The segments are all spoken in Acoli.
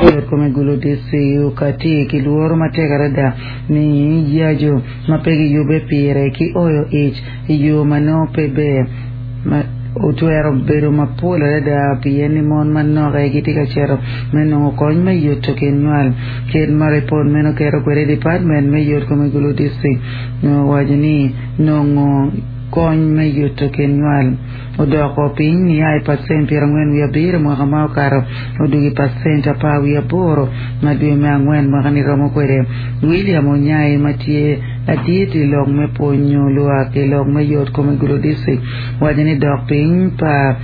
Yotkom i Gulu District okati ki lworo matek adada ni yaco ma pe giyubbe pire ki oyo ic i yo ma nongo pe ber ma otwero bedo mapol adada pien ni mon manok aye gitye ka cito me nongo kony me yuto kin nywal. Kit ma ripot meno keto kwede Department me Yotkom i Gulu District owaco ni nongo kony me yuto kin nywal odoko piny nia i pacent 47 mwaka ma okato odwogo i pacent 18 ma dwe me angwen mwaka-ni romo kwede. William Onyai ma tye ladit i lok me pwonyo lwak i lok me yot kom i Gulu District waco ni dok piny pa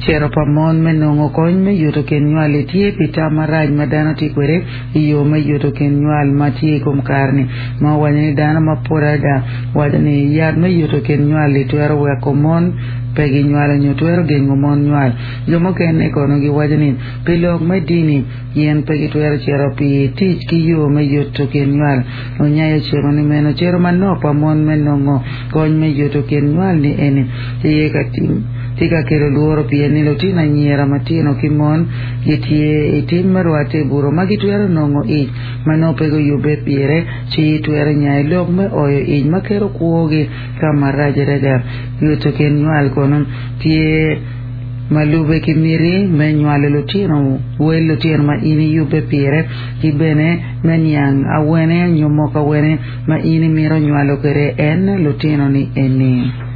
cito pa mon me nongo kony me yuto kin nywal-li tye pi tam marac ma dano tye kwede i yo me yuto kin nywal ma tye i kom kare-ni ma owaco ni dano mapol adada waco ni yat me yuto kin nywal-li twero weko mon pe ginywalo nyo twero gengo mon nywal. Jo mukene kono giwaco ni pi lok me dini gin pe gitwero cito pi tic ki yo me yuto kin nywal. Onyayo ociko ni meno cito manok pa mon me nongo kony me yuto kin nywal ni eni tye ka tye ka kelo lworo pien ni lutino anyira matino ki mon gitye i tim me rwatte i buto ma gitwero nongo ic ma nongo pe guyubbe pire ci twero nyayo lok me oyo ic ma keto kwogi ka marac adada. Yuto kin nywal kono tye ma lube ki miti me nywalo lutino, wel lutino ma in iyubbe pire, ki bene me niang awene nyo moko awene ma in imito nywalo kwede en lutino-ni eni.